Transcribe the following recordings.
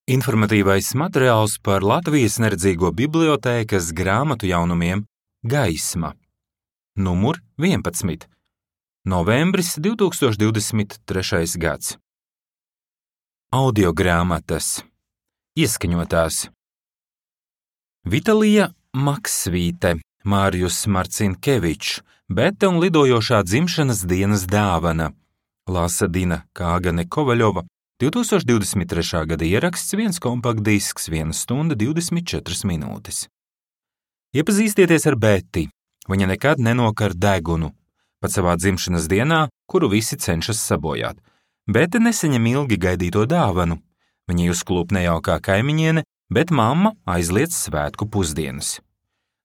Informatīvais materiāls par Latvijas neredzīgo bibliotēkas grāmatu jaunumiem Gaisma. Numur 11. Novembris 2023. gads. Audiogrāmatas. Ieskaņotās. Vitalija Maksvīte, Mārijus Marcinkevičs, Bete un lidojošā dzimšanas dienas dāvana. Lasa Dina Kāgane Kovaļova, 2023. gada ieraksts, 1 kompaktdisks, 1 stunda 24 minūtes. Iepazīstieties ar Beti. Viņa nekad nenokar degunu, pat savā dzimšanas dienā, kuru visi cenšas sabojāt. Bete nesaņem ilgi gaidīto dāvanu. Viņa uzklūp nejaukā kaimiņiene, bet mamma aizliedz svētku pusdienas.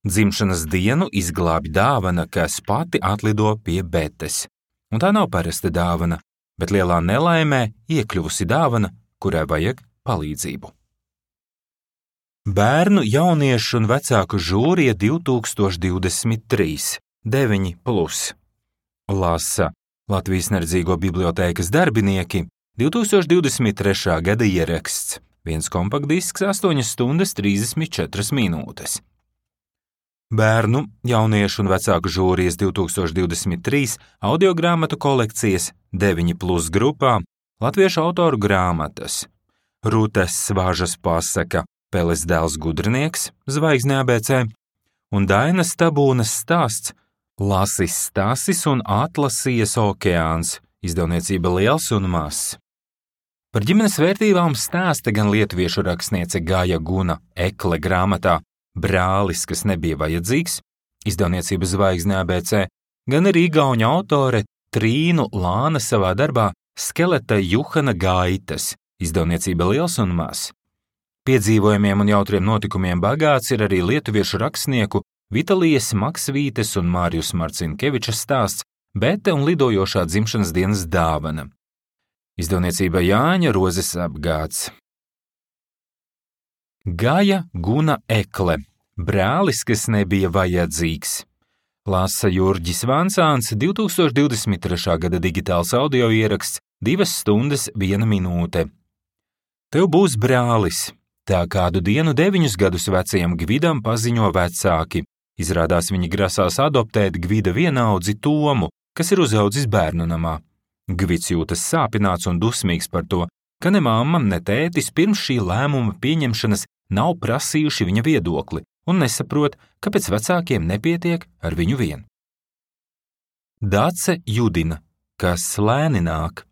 Dzimšanas dienu izglābj dāvana, kas pati atlido pie Betes. Un tā nav parasta dāvana, bet lielā nelaimē iekļuvusi dāvana, kurai vajag palīdzību. Bērnu, jauniešu un vecāku žūrija 2023, 9+. Lasa Latvijas neredzīgo bibliotēkas darbinieki, 2023. gada ieraksts, 1 kompaktdisks, 8 stundas 34 minūtes. Bērnu, jauniešu un vecāku žūrijas 2023 audiogrāmatu kolekcijas 9+ grupā latviešu autoru grāmatas. Rūtes Svāžas pasaka Peles dēls gudrinieks, Zvaigzne ABC, un Dainas Tabūnas stāsts Lasis Stasis un Atlasijas okeāns, izdevniecība Liels un Mazs. Par ģimenes vērtībām stāsta gan lietuviešu rakstniece Gaja Guna Ekle grāmatā Brālis, kas nebija vajadzīgs, izdevniecība Zvaigzne ABC, gan arī igauņu autore Trīnu Lāna savā darbā Skeleta Juhana gaitas, izdevniecība Liels un Mazs. Piedzīvojumiem un jautriem notikumiem bagāts ir arī lietuviešu rakstnieku Vitalijas Maksvītes un Mārijus Marcinkeviča stāsts Bete un lidojošā dzimšanas dienas dāvana. Izdevniecība Jāņa Rozes apgāds. Gaja Guna Ekle, Brālis, kas nebija vajadzīgs. Lasa Jurģis Vansāns, 2023. gada digitāls audio ieraksts, 2 stundas 1 minūte. Tev būs brālis. Tā kādu dienu 9 gadus vecajam Gvidam paziņo vecāki. Izrādās viņi grasās adoptēt Gvida vienaudzi Tomu, kas ir uzaudzis bērnu namā. Gvids jūtas sāpināts un dusmīgs par to, ka ne mamma, ne tētis pirms šī lēmuma pieņemšanas nav prasījuši viņa viedokli un nesaprot, kāpēc vecākiem nepietiek ar viņu vien. Dace Judina, kas lēni nāk.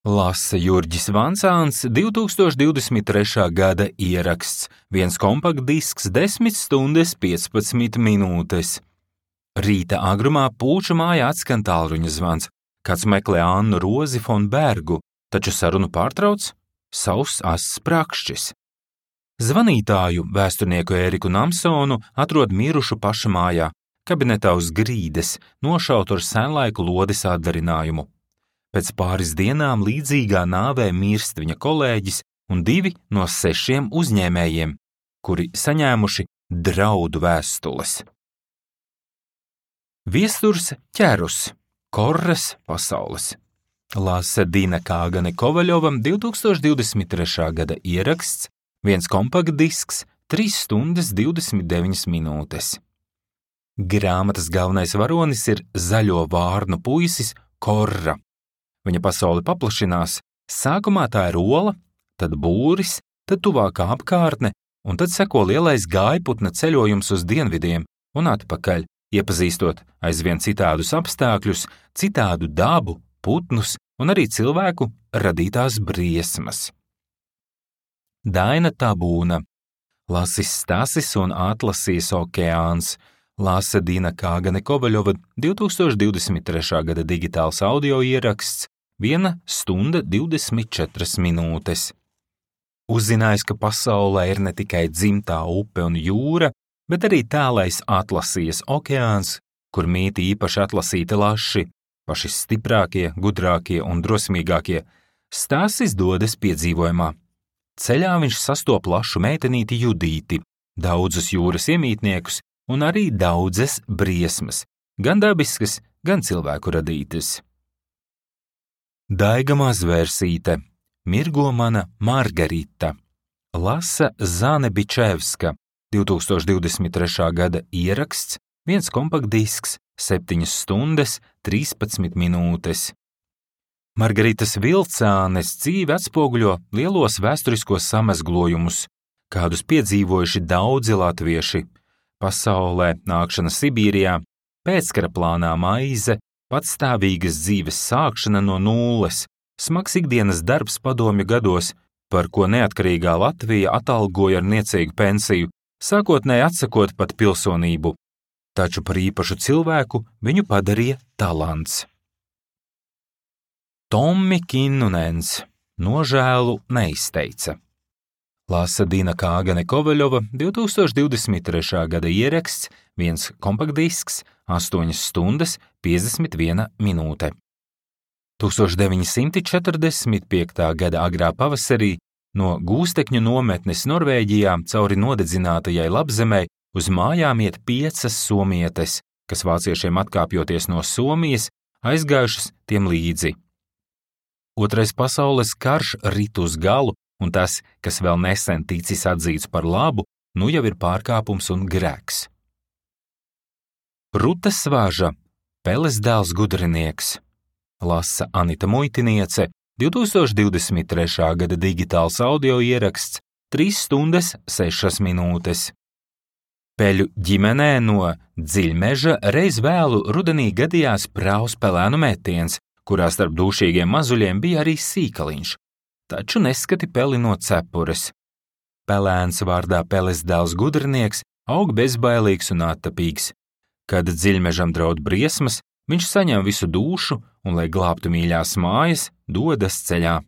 Lasa Jurģis Vansāns, 2023. gada ieraksts, 1 kompaktdisks, 10 stundas 15 minūtes. Rīta agrumā Pūču mājā atskan tālruņa zvans. Kāds meklē Annu Rozi fon Bergu, taču sarunu pārtrauc sauss ass prakšķis. Zvanītāju, vēsturnieku Ēriku Namsonu, atrod mirušu paša mājā, kabinetā uz grīdas, nošautu ar senlaiku lodes atdarinājumu. Pēc pāris dienām līdzīgā nāvē mirst viņa kolēģis un 2 no 6 uzņēmējiem, kuri saņēmuši draudu vēstules. Viesturs ķerus, Korras pasaules. Lasa Dina Kāgane Kovaļova, 2023. gada ieraksts, 1 kompaktdisks, 3 stundas 29 minūtes. Grāmatas galvenais varonis ir zaļo vārnu puisis Korra. Viņa pasaule paplašinās, sākumā tā ir ola, tad būris, tad tuvākā apkārtne, un tad seko lielais gājputna ceļojums uz dienvidiem un atpakaļ, iepazīstot aizvien citādus apstākļus, citādu dabu, putnus un arī cilvēku radītās briesmas. Daina Tabūna, Lasis Stasis un Atlasijas okeāns, Lasa Dina Kāgane Kovaļova, 2023. gada digitāls audio ieraksts, 1 stunda 24 minūtes. Uzzinājis, ka pasaulē ir ne tikai dzimtā upe un jūra, bet arī tālais Atlasijas okeāns, kur mīt īpaši atlasīti laši, paši stiprākie, gudrākie un drosmīgākie, Stasis dodas piedzīvojumā. Ceļā viņš sastop lašu meitenīti Judīti, daudzus jūras iemītniekus un arī daudzas briesmas, gan dabiskas, gan cilvēku radītas. Daiga Mazvērsīte, Mirgo mana Margarita, Lasa Zanebičevska, 2023. gada ieraksts, viens kompaktdisks, 7 stundas, 13 minūtes. Margaritas Vilcānes dzīve atspoguļo lielos vēsturiskos samezglojumus, kādus piedzīvojuši daudzi latvieši. Pasaulē nākšana Sibīrijā, pēckara plānā maize, patstāvīgas dzīves sākšana no nulles, smags ikdienas darbs padomju gados, par ko neatkarīgā Latvija atalgoja ar niecīgu pensiju, sākotnēji atsakot pat pilsonību. Taču par īpašu cilvēku viņu padarīja talants. Tommi Kinnunens nožēlu neizteica. Lasa Dina Kāgane Kovaļova, 2023. gada ieraksts, viens kompaktdisks, 8 stundas, 51 minūte. 1945. gada agrā pavasarī no Gūstekņu nometnes Norvēģijā cauri nodedzinātajai Labzemei uz mājām iet 5 somietes, kas vāciešiem atkāpjoties no Somijas, aizgājušas tiem līdzi. Otrais pasaules karš rit uz galu, un tas, kas vēl nesen ticis atzīts par labu, nu jau ir pārkāpums un grēks. Ruta Svaža, Peles dēls gudrinieks. Lasa Anita Muitiniece, 2023. gada digitāls audio ieraksts, 3 stundas, 6 minūtes. Peļu ģimenē no Dziļmeža reiz vēlu rudenī gadījās prāvs pelēnu metiens, kurā starp dūšīgiem mazuļiem bija arī sīkaliņš, taču neskati peli no cepures. Pelēns vārdā Peles dēls gudrinieks aug bezbailīgs un attapīgs. Kad Dziļmežam draud briesmas, viņš saņem visu dūšu un, lai glābtu mīļās mājas, dodas ceļā.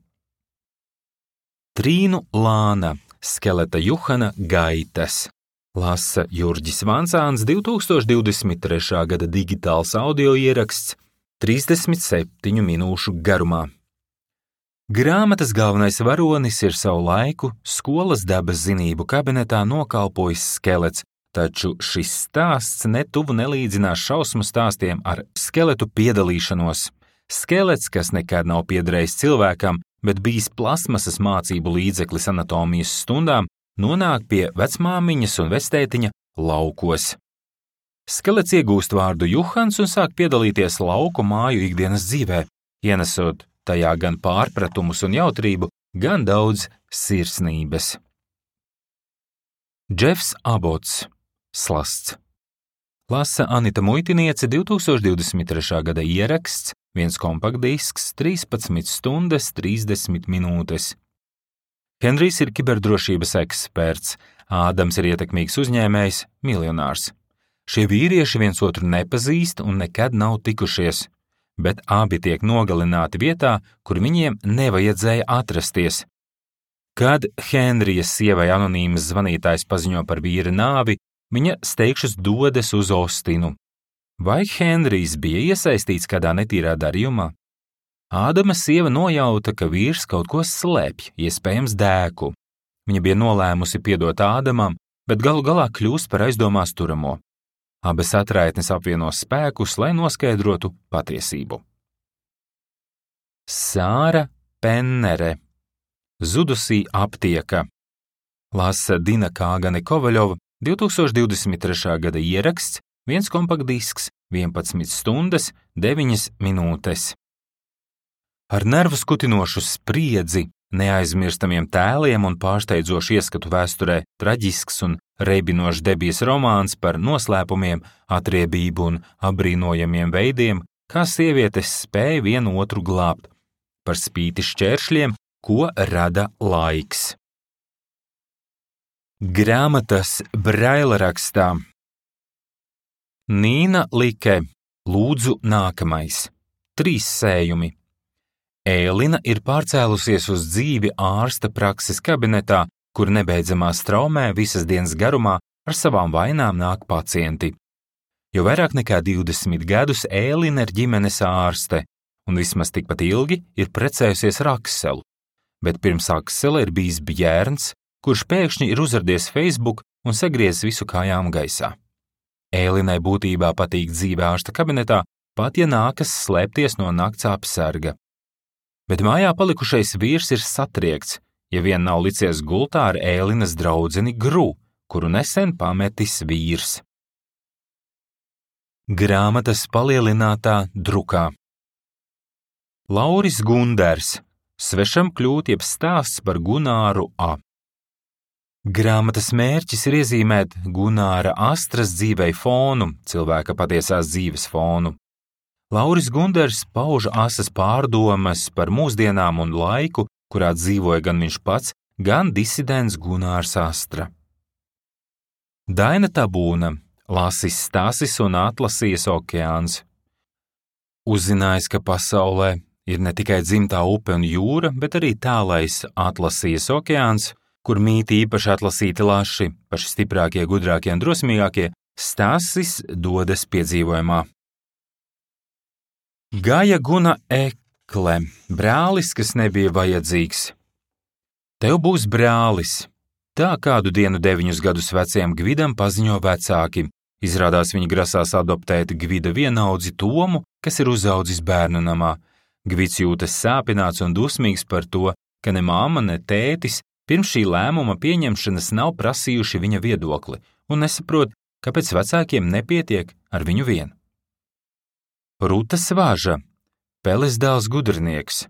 Trīnu Lāna, Skeleta Juhana gaitas. Lasa Jurģis Vancāns, 2023. gada digitāls audio ieraksts, 37 minūšu garumā. Grāmatas galvenais varonis ir savu laiku skolas dabas zinību kabinetā nokalpojis skelets, taču šis stāsts netuvu nelīdzinās šausmu stāstiem ar skeletu piedalīšanos. Skelets, kas nekad nav piederējis cilvēkam, bet bijis plasmasas mācību līdzeklis anatomijas stundām, nonāk pie vecmāmiņas un vectētiņa laukos. Skelets iegūst vārdu Juhans un sāk piedalīties lauku māju ikdienas dzīvē, ienesot tajā gan pārpratumus un jautrību, gan daudz sirsnības. Džefs Abots, slasts. Lasa Anita Muitiniece, 2023. gada ieraksts, viens kompaktdisks, 13 stundas, 30 minūtes. Henrijs ir kiberdrošības eksperts, Ādams ir ietekmīgs uzņēmējs, miljonārs. Šie vīrieši viens otru nepazīst un nekad nav tikušies, bet abi tiek nogalināti vietā, kur viņiem nevajadzēja atrasties. Kad Henrijas sievai anonīmas zvanītājs paziņo par vīra nāvi, viņa steigšus dodas uz Ostinu. Vai Henrijs bija iesaistīts kādā netīrā darījumā? Ādama sieva nojauta, ka vīrs kaut ko slēpj, iespējams dēku. Viņa bija nolēmusi piedot Ādamam, bet galu galā kļūst par aizdomās turamo. Abas atraitnes apvieno spēkus, lai noskaidrotu patiesību. Sāra Pennere, zudusī aptieka. Lasa Dina Kāgane Kovaļova, 2023. gada ieraksts, viens kompaktdisks, 11 stundas, 9 minūtes. Ar nervu skutinošu spriedzi, neaizmirstamiem tēliem un pārsteidzošu ieskatu vēsturē traģisks un reibinošs debijas romāns par noslēpumiem, atriebību un apbrīnojamiem veidiem, kā sievietes spēja vienu otru glābt, par spīti šķēršļiem, ko rada laiks. Grāmatas Braila rakstā. Nīna Like, lūdzu nākamais. 3 sējumi. Ēlina ir pārcēlusies uz dzīvi ārsta prakses kabinetā, kur nebeidzamā straumē visas dienas garumā ar savām vainām nāk pacienti. Jau vairāk nekā 20 gadus Ēlina ir ģimenes ārste, un vismaz tikpat ilgi ir precējusies ar Akselu, bet pirms Aksela ir bijis Bjērns, kurš pēkšņi ir uzradies Facebook un sagriezis visu kājām gaisā. Ēlinai būtībā patīk dzīve ārsta kabinetā, pat ja nākas slēpties no nakts apsarga. Bet mājā palikušais vīrs ir satriekts, ja vien nav licies gultā ar Ēlinas draudzeni Gru, kuru nesen pametis vīrs. Grāmatas palielinātā drukā. Lauris Gunders, Svešam kļūt jeb stāsts par Gunāru A. Grāmatas mērķis ir iezīmēt Gunāra Astras dzīvei fonu, cilvēka patiesās dzīves fonu. Lauris Gunders pauž asas pārdomas par mūsdienām un laiku, kurā dzīvoja gan viņš pats, gan disidents Gunārs Astra. Daina Tabūna, Lasis Stasis un Atlasijas okeāns. Uzzinājis, ka pasaulē ir ne tikai dzimtā upe un jūra, bet arī tālais Atlasijas okeāns, kur mīt īpaši atlasīti laši, paši stiprākie, gudrākie un drosmīgākie, Stasis dodas piedzīvojumā. Gaja Guna Ekle, brālis, kas nebija vajadzīgs. Tev būs brālis. Tā kādu dienu 9 gadus vecajam Gvidam paziņo vecāki. Izrādās viņi grasās adoptēt Gvida vienaudzi Tomu, kas ir uzaudzis bērnu namā. Gvids jūtas sāpināts un dusmīgs par to, ka ne mamma, ne tētis pirms šī lēmuma pieņemšanas nav prasījuši viņa viedokli un nesaprot, kāpēc vecākiem nepietiek ar viņu vien. Ruta Svāža, Peles dēls gudrinieks.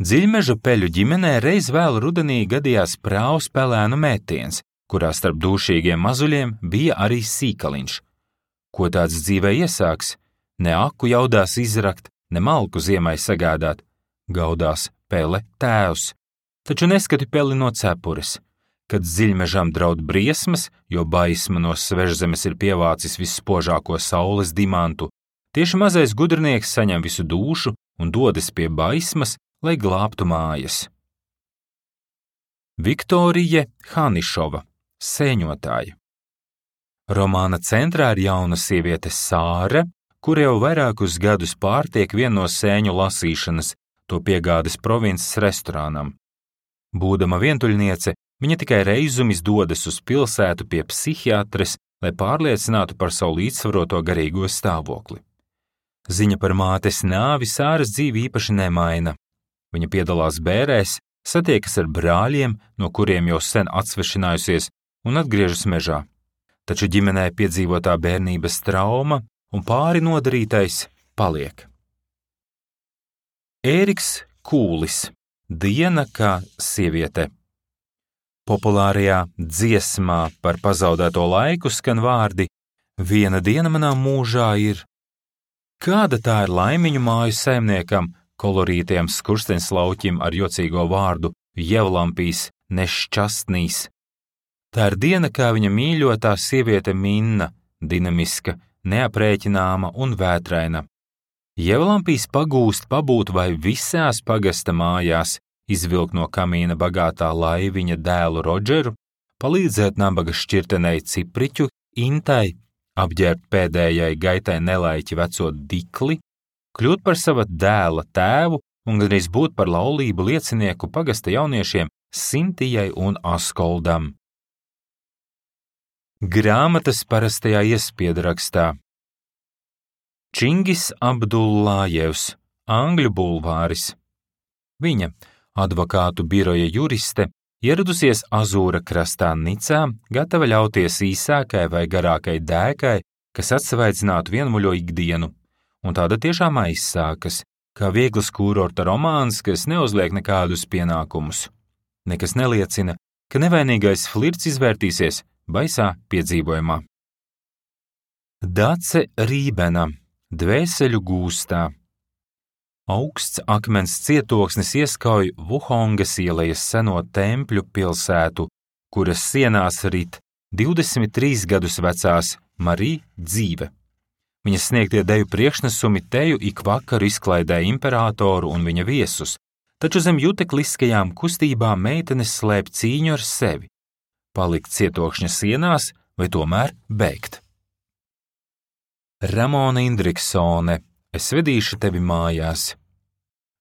Dziļmeža peļu ģimenē reiz vēl rudenī gadījās prāvs pelēnu mētiens, kurā starp dūšīgiem mazuļiem bija arī sīkaliņš. Ko tāds dzīvē iesāks? Ne aku jaudās izrakt, ne malku ziemai sagādāt. Gaudās Pele tēvs. Taču neskati Peli no cepures. Kad dziļmežam draud briesmas, jo baisma no svežzemes ir pievācis visspožāko saules dimantu, tieši mazais gudrinieks saņem visu dūšu un dodas pie baismas, lai glābtu mājas. Viktorija Hanišova, sēņotāja. Romāna centrā ir jauna sieviete Sāra, kura jau vairākus gadus pārtiek vienu no sēņu lasīšanas, to piegādes provinces restorānam. Būdama vientuļniece, viņa tikai reizumis dodas uz pilsētu pie psihiatres, lai pārliecinātu par savu līdzsvaroto garīgo stāvokli. Ziņa par mātes nāvi Sāras dzīvi īpaši nemaina. Viņa piedalās bērēs, satiekas ar brāļiem, no kuriem jau sen atsvešinājusies, un atgriežas mežā. Taču ģimenē piedzīvotā bērnības trauma un pāri nodarītais paliek. Ēriks Kūlis, Diena kā sieviete. Populārajā dziesmā par pazaudēto laiku skan vārdi: Viena diena manā mūžā ir. Kāda tā ir laimiņu māju saimniekam, kolorītiem skursteņslauķim ar jocīgo vārdu Jevlampīs nešķastnīs. Tā ir diena, kā viņa mīļotā sieviete Minna, dinamiska, neaprēķināma un vētraina. Jevlampīs pagūst pabūt vai visās pagasta mājās, izvilkt no kamīna bagātā laiviņa dēlu Rodžeru, palīdzēt nabaga šķirtenei Cipriķu, Intai, apģērbt pēdējai gaitai nelaiķi veco Dikli, kļūt par sava dēla tēvu un gandrīz būt par laulību liecinieku pagasta jauniešiem Sintijai un Askoldam. Grāmatas parastajā iespiedarakstā. Čingis Abdullājevs, Angļu bulvāris. Viņa, advokātu biroja juriste, ieradusies Azūra krastā Nicā, gatava ļauties īsākai vai garākai dēkai, kas atsvaidzinātu vienmuļo ikdienu. Un tāda tiešām aizsākas, kā viegls kūrorta romāns, kas neuzliek nekādus pienākumus. Nekas neliecina, ka nevainīgais flirts izvērtīsies baisā piedzīvojumā. Dace Rībena, Dvēseļu gūstā. Augsts akmens cietoksnis ieskauj Vuhongas ielas seno tempļu pilsētu, kuras sienās rit 23 gadus vecās Marija dzīve. Viņas sniegtie deju priekšnesumi teju ik vakaru izklaidē imperatoru un viņa viesus, taču zem jutekliskajām kustībām meitenes slēp cīņu ar sevi. Palikt cietokšņa sienās vai tomēr bēgt. Ramona Indriksone, Es vedīšu tevi mājās.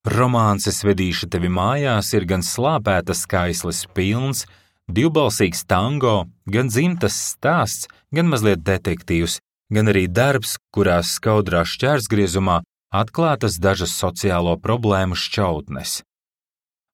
Romāns Es vedīšu tevi mājās ir gan slāpētas skaisles pilns, divbalsīgs tango, gan dzimtas stāsts, gan mazliet detektīvs, gan arī darbs, kurā skaudrā šķērsgriezumā atklātas dažas sociālo problēmu šķautnes.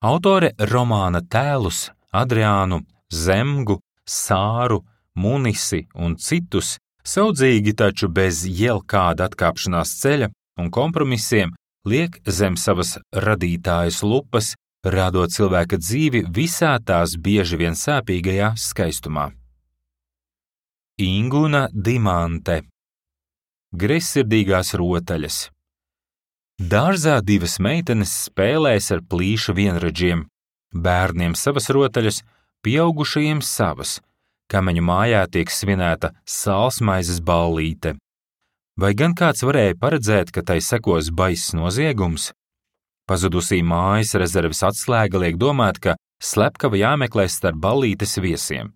Autore romāna tēlus Adriānu, Zemgu, Sāru, Munisi un citus saudzīgi, taču bez jebkāda atkāpšanās ceļa un kompromisiem liek zem savas radītājas lupas, radot cilvēka dzīvi visā tās bieži vien sāpīgajā skaistumā. Inguna Dimante. Greizsirdīgās rotaļas. Dārzā divas meitenes spēlēs ar plīša vienradžiem, bērniem savas rotaļas, pieaugušajiem savas. Kameņu mājā tiek svinēta sālsmaizes ballīte. Vai gan kāds varēja paredzēt, ka tai sekos baiss noziegums? Pazudusī mājas rezerves atslēga liek domāt, ka slepkava jāmeklē starp ballītes viesiem.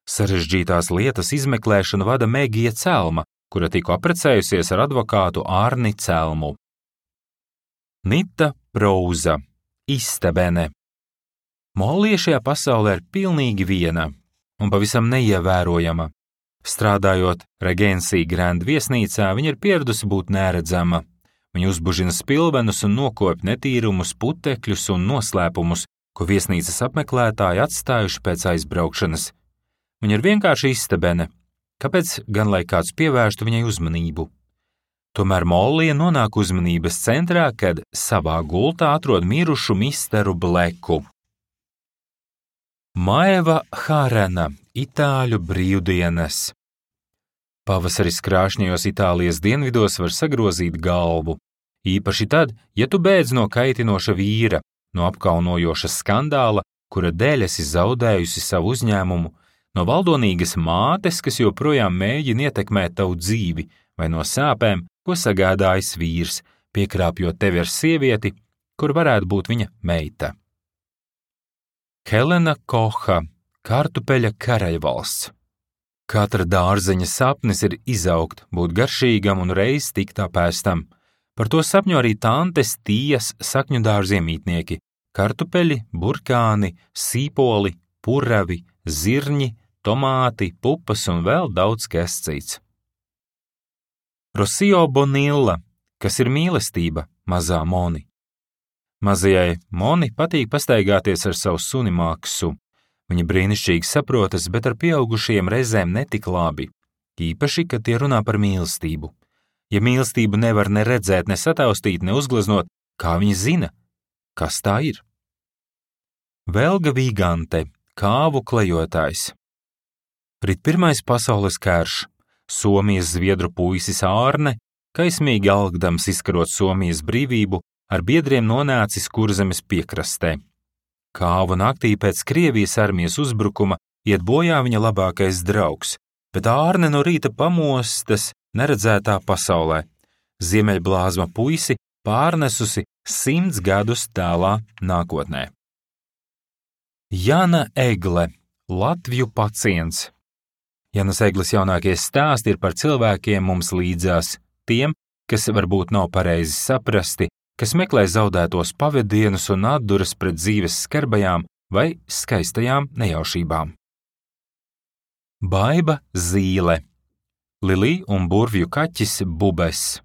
Sarežģītās lietas izmeklēšanu vada Megija Celma, kura tikko apprecējusies ar advokātu Ārni Celmu. Nita Prouza. Istebene. Mollija šajā pasaulē ir pilnīgi viena un pavisam neievērojama. Strādājot Regency Grand viesnīcā, viņa ir pieradusi būt neredzama. Viņa uzbužina spilvenus un nokopj netīrumus, putekļus un noslēpumus, ko viesnīcas apmeklētāji atstājuši pēc aizbraukšanas. Viņa ir vienkārši istebene. Kāpēc gan lai kāds pievērstu viņai uzmanību? Tomēr Mollija nonāk uzmanības centrā, kad savā gultā atrod mirušu misteru Bleku. Maeva Harena. Itāļu brīvdienas. Pavasaris krāšņajos Itālijas dienvidos var sagrozīt galvu. Īpaši tad, ja tu bēdz no kaitinoša vīra, no apkaunojoša skandāla, kura dēļ esi zaudējusi savu uzņēmumu, no valdonīgas mātes, kas joprojām mēģina ietekmēt tavu dzīvi, vai no sāpēm, ko sagādājis vīrs, piekrāpjot tevi ar sievieti, kur varētu būt viņa meita. Helena Koha. Kartupeļa karaļvalsts. Katra dārzeņa sapnis ir izaugt, būt garšīgam un reiz tikt apēstam. Par to sapņo arī tantes Tijas sakņu dārziemītnieki – kartupeļi, burkāni, sīpoli, puravi, zirņi, tomāti, pupas un vēl daudz kas cits. Rosio Bonilla, kas ir mīlestība, mazā Moni. Mazajai Moni patīk pastaigāties ar savu suni Maksu. Viņa brīnišķīgi saprotas, bet ar pieaugušajiem reizēm netik labi, īpaši, kad tie runā par mīlestību. Ja mīlestību nevar ne redzēt, ne sataustīt, ne uzgleznot, kā viņi zina, kas tā ir? Velga Vigante. Kāvu klejotājs. Rit pirmais pasaules karš. Somijas zviedru puisis Ārne, kaismīgi algdams izkarot Somijas brīvību, ar biedriem nonācis Kurzemes piekrastē. Kāvu naktī pēc Krievijas armijas uzbrukuma iet bojā viņa labākais draugs, bet Ārne no rīta pamostas neredzētā pasaulē. Ziemeļblāzma puisi pārnesusi 100 gadus tālā nākotnē. Jana Egle. Latvju pacients. Janas Egles jaunākie stāsti ir par cilvēkiem mums līdzās, tiem, kas varbūt nav pareizi saprasti, kas meklē zaudētos pavedienus un atduras pret dzīves skarbajām vai skaistajām nejaušībām. Baiba Zīle. Lilī un burvju kaķis Bubes.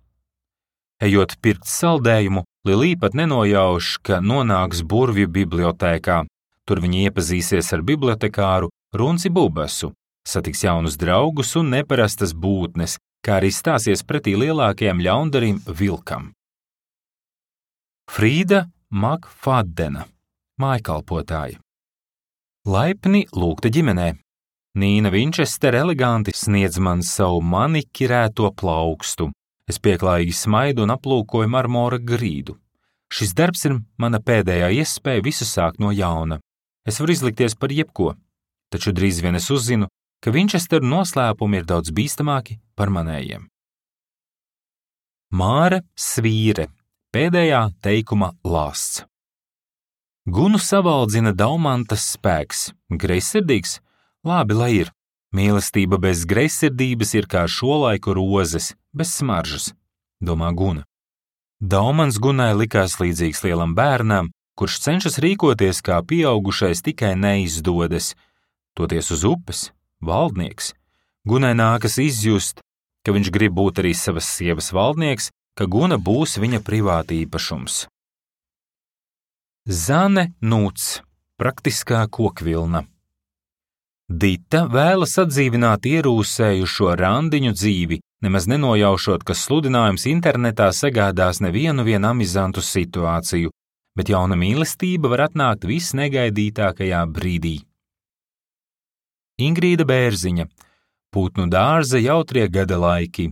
Ejot pirkt saldējumu, Lilī pat nenojauš, ka nonāks burvju bibliotēkā. Tur viņa iepazīsies ar bibliotekāru Runci Bubesu, satiks jaunus draugus un neparastas būtnes, kā arī stāsies pretī lielākajam ļaundarim vilkam. Frīda Makfadena. Mājkalpotāja. Laipni lūgta ģimenē. Nīna Vinčester eleganti sniedz man savu manikirēto plaukstu. Es pieklājīgi smaidu un aplūkoju marmora grīdu. Šis darbs ir mana pēdējā iespēja visu sākt no jauna. Es varu izlikties par jebko, taču drīz vien es uzzinu, ka Vinčesteru noslēpumi ir daudz bīstamāki par manējiem. Māra Svīre. Pēdējā teikuma lāsts. Gunu savaldzina daumantas spēks. Greizsirdīgs? Labi, lai ir. Mīlestība bez greizsirdības ir kā šolaiku rozes, bez smaržas, domā Guna. Daumans Gunai likās līdzīgs lielam bērnam, kurš cenšas rīkoties kā pieaugušais, tikai neizdodas. Toties uz upes, valdnieks. Gunai nākas izjust, ka viņš grib būt arī savas sievas valdnieks, ka Guna būs viņa privātīpašums. Zane Nūts, praktiskā kokvilna. Dita vēlas atdzīvināt ierūsējušo randiņu dzīvi, nemaz nenojaušot, ka sludinājums internetā sagādās nevienu amizantu situāciju, bet jauna mīlestība var atnākt visnegaidītākajā brīdī. Ingrīda Bērziņa, Putnu dārza jautrie gada laiki.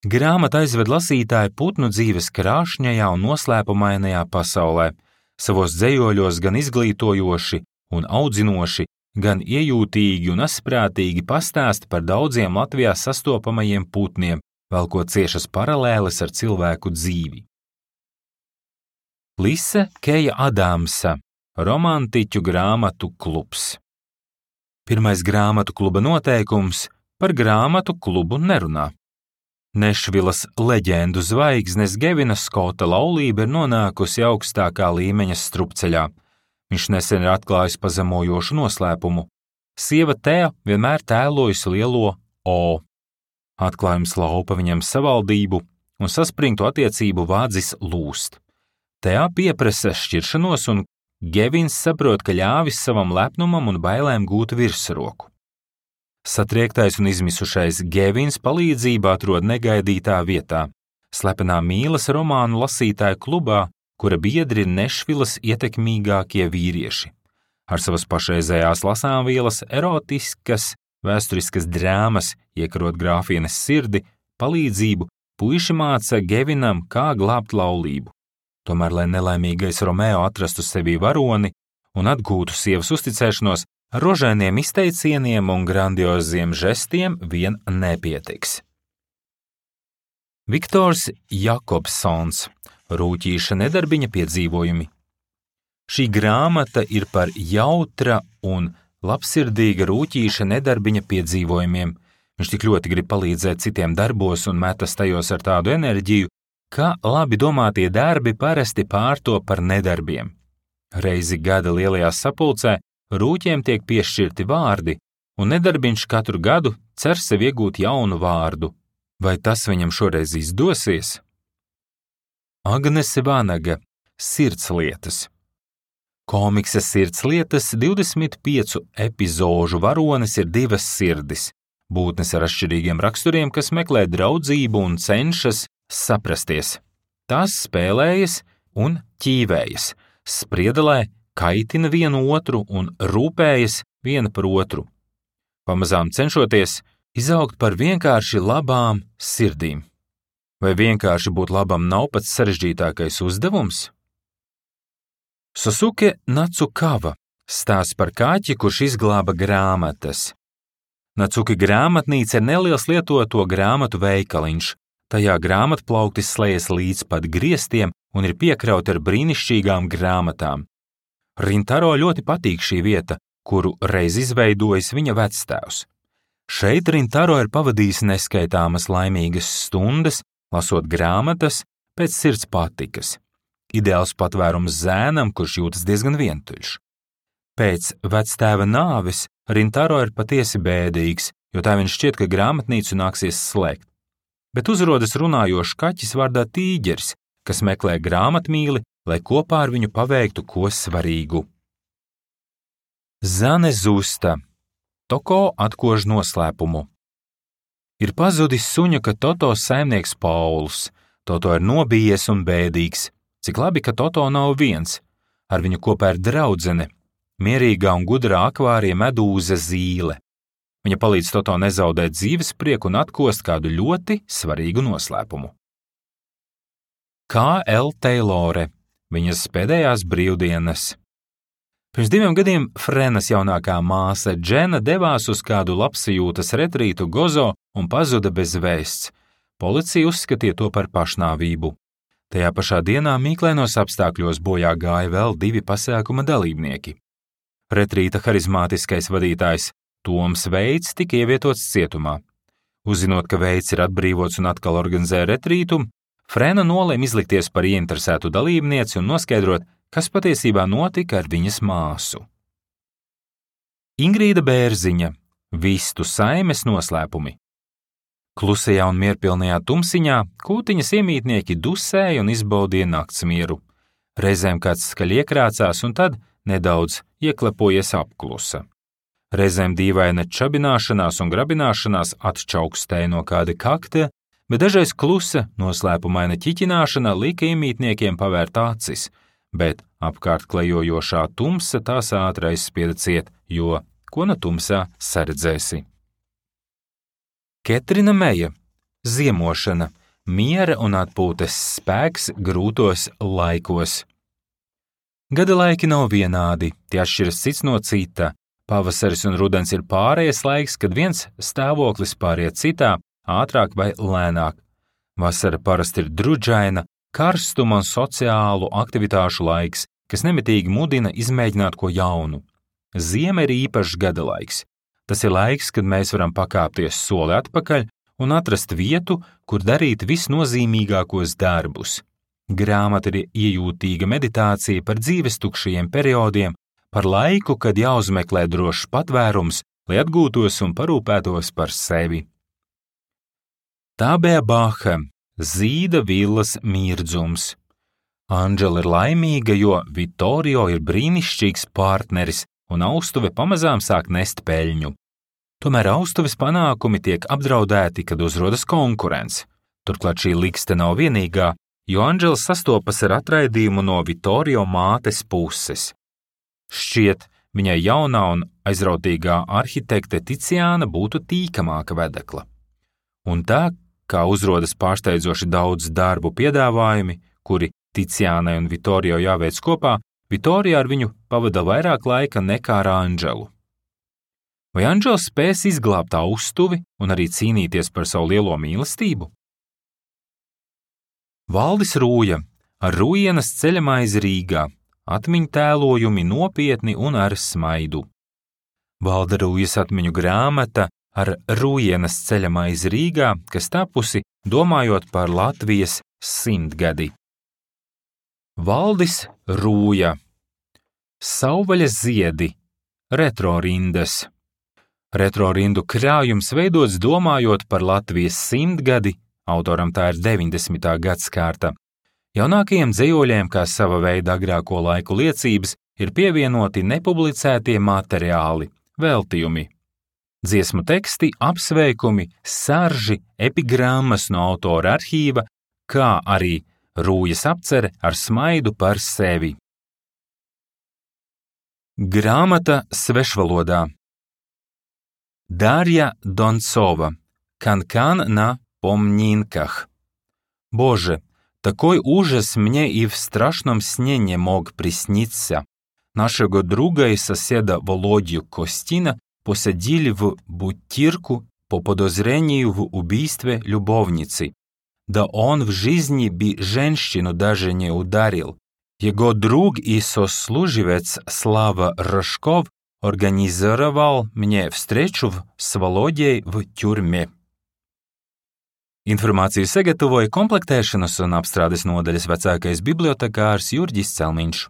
Grāmata aizved lasītāju putnu dzīves krāšņajā un noslēpumainajā pasaulē, savos dzejoļos gan izglītojoši un audzinoši, gan iejūtīgi un asprātīgi pastāsta par daudziem Latvijā sastopamajiem putniem, velkot ciešas paralēles ar cilvēku dzīvi. Lise Keja Adamsa, romantiķu grāmatu klubs. Pirmais grāmatu kluba noteikums – par grāmatu klubu nerunā. Nešvilas leģendu zvaigznes Gevina Skota laulība ir nonākusi augstākā līmeņa strupceļā. Viņš nesen ir atklājis pazemojošu noslēpumu. Sieva Tea vienmēr tēlojusi lielo O. Atklājums laupa viņam savaldību un saspringtu attiecību vādzis lūst. Tea pieprasa šķiršanos un Gevins saprot, ka ļāvis savam lepnumam un bailēm gūt virsroku. Satriektais un izmisušais Gevins palīdzību atrod negaidītā vietā, slepenā mīlas romānu lasītāju klubā, kura biedri ir Nešvilas ietekmīgākie vīrieši. Ar savas pašreizējās lasāmvielas erotiskas, vēsturiskas drāmas, iekarot grāfienes sirdi, palīdzību, puiši māca Gevinam, kā glābt laulību. Tomēr, lai nelaimīgais Romeo atrastu sevī varoni un atgūtu sievas uzticēšanos, ar rožainiem izteicieniem un grandioziem žestiem vien nepietiks. Viktors Jakobsons, Rūķīša nedarbiņa piedzīvojumi. Šī grāmata ir par jautra un labsirdīga Rūķīša nedarbiņa piedzīvojumiem. Viņš tik ļoti grib palīdzēt citiem darbos un metas tajos ar tādu enerģiju, ka labi domātie darbi parasti pārto par nedarbiem. Reizi gada lielajā sapulcē Rūķiem tiek piešķirti vārdi, un nedarbiņš katru gadu cer sev iegūt jaunu vārdu. Vai tas viņam šoreiz izdosies? Agnese Vanaga, Sirdslietas. Komiksa Sirdslietas 25 epizožu varonis ir divas sirdis, būtnes ar atšķirīgiem raksturiem, kas meklē draudzību un cenšas saprasties. Tās spēlējas un ķīvējas, spriedelē, kaitina vienu otru un rūpējas viena par otru, pamazām cenšoties izaugt par vienkārši labām sirdīm. Vai vienkārši būt labam nav pats sarežģītākais uzdevums? Sasuke Nacukava stāsts par kaķi, kurš izglāba grāmatas. Nacuki grāmatnīca ir neliels lietoto grāmatu veikaliņš. Tajā grāmatplauktis slējas līdz pat griestiem un ir piekrauti ar brīnišķīgām grāmatām. Rintaro ļoti patīk šī vieta, kuru reiz izveidojis viņa vectēvs. Šeit Rintaro ir pavadījis neskaitāmas laimīgas stundas, lasot grāmatas pēc sirds patikas. Ideāls patvērums zēnam, kurš jūtas diezgan vientuļš. Pēc vectēva nāves Rintaro ir patiesi bēdīgs, jo tā viņš šķiet, ka grāmatnīcu nāksies slēgt. Bet uzrodas runājošs kaķis vārdā Tīģeris, kas meklē grāmatmīli, lai kopā ar viņu paveiktu ko svarīgu. Zane Zusta, Toko atkož noslēpumu. Ir pazudis suņuka Toto saimnieks Pauls. Toto ir nobijies un bēdīgs. Cik labi, ka Toto nav viens. Ar viņu kopā ir draudzene, mierīgā un gudrā akvārija medūza Zīle. Viņa palīdz Toto nezaudēt dzīvesprieku un atkost kādu ļoti svarīgu noslēpumu. K.L. Taylore, viņas pēdējās brīvdienas. Pirms 2 gadiem Frenas jaunākā māsa Džena devās uz kādu labsajūtas retrītu Gozo un pazuda bez vēsts. Policija uzskatīja to par pašnāvību. Tajā pašā dienā mīklainos apstākļos bojā gāja vēl 2 pasākuma dalībnieki. Retrīta harizmātiskais vadītājs Toms Veits tika ievietots cietumā. Uzzinot, ka Veits ir atbrīvots un atkal organizē retrītu, Frena nolēma izlikties par ieinteresētu dalībnieci un noskaidrot, kas patiesībā notika ar viņas māsu. Ingrīda Bērziņa, Vistu saimes noslēpumi. Klusajā un mierpilnajā tumsiņā kūtiņas iemītnieki dusēja un izbaudīja naktsmieru. Reizēm kāds skaļi iekrācās un tad nedaudz ieklepojies apklusa. Reizēm dīvaina čabināšanās un grabināšanās atčaukstēja no kāda kakta, bet dažreiz klusa, noslēpumaina ķiķināšana lika iemītniekiem pavērt acis, bet apkārt klejojošā tumsa tās ātri aizspieda ciet, jo ko no tumsā saredzēsi. Ketrina Meja. Ziemošana. Miera un atpūtas spēks grūtos laikos. Gada laiki nav vienādi, tie atšķiras cits no cita. Pavasaris un rudens ir pārējais laiks, kad viens stāvoklis pāriet citā, ātrāk vai lēnāk. Vasara parasti ir drudžaina, karstuma un sociālu aktivitāšu laiks, kas nemitīgi mudina izmēģināt ko jaunu. Ziema ir īpašs gada laiks. Tas ir laiks, kad mēs varam pakāpties soli atpakaļ un atrast vietu, kur darīt visnozīmīgākos darbus. Grāmata ir iejūtīga meditācija par dzīves tukšajiem periodiem, par laiku, kad jāuzmeklē drošs patvērums, lai atgūtos un parūpētos par sevi. Tā bija Baha, Zīda villas mirdzums. Anģela ir laimīga, jo Vittorio ir brīnišķīgs partneris un austuve pamazām sāk nest peļņu. Tomēr austuves panākumi tiek apdraudēti, kad uzrodas konkurence. Turklāt šī likste nav vienīgā, jo Anģela sastopas ar atraidījumu no Vittorio mātes puses. Šķiet, viņai jaunā un aizrautīgā arhitekte Ticiāna būtu tīkamāka vedekla. Un tā, kā uzrodas pārsteidzoši daudz darbu piedāvājumi, kuri Ticiānai un Vittorio jāveic kopā, Vittorio ar viņu pavada vairāk laika nekā ar Anģelu. Vai Anģela spēs izglābt austuvi un arī cīnīties par savu lielo mīlestību? Valdis Rūja ar Rujienas ceļamaizi Rīgā, atmiņu tēlojumi nopietni un ar smaidu. Valda Rūjas atmiņu grāmata ar Rujienas ceļamaizi Rīgā, kas tapusi domājot par Latvijas 100-gadi. Valdis Rūja. Savvaļas ziedi. Retro rindas. Retro rindu krājums veidots domājot par Latvijas 100-gadi, autoram tā ir 90. gadskārta. Jaunākajiem dzejoļiem, kā sava veida agrāko laiku liecības, ir pievienoti nepublicētie materiāli, veltījumi. Dziesmu teksti, apsveikumi, sarži, epigrammas no autora arhīva, kā arī Rūjas apcere ar smaidu par sevi. Grāmata svešvalodā. Дарья Донцова. Канкан на помнинках. Боже, такой ужас мне и в страшном сне не мог присниться. Нашего друга и соседа Володю Костина посадили в бутирку по подозрению в убийстве любовницы. Да он в жизни бы женщину даже не ударил. Его друг и сослуживец Слава Рожков organizировал мне встречу с Володей в тюрьме. Informāciju sagatavoja komplektēšanas un apstrādes nodaļas vecākais bibliotekārs Jurģis Celmiņš.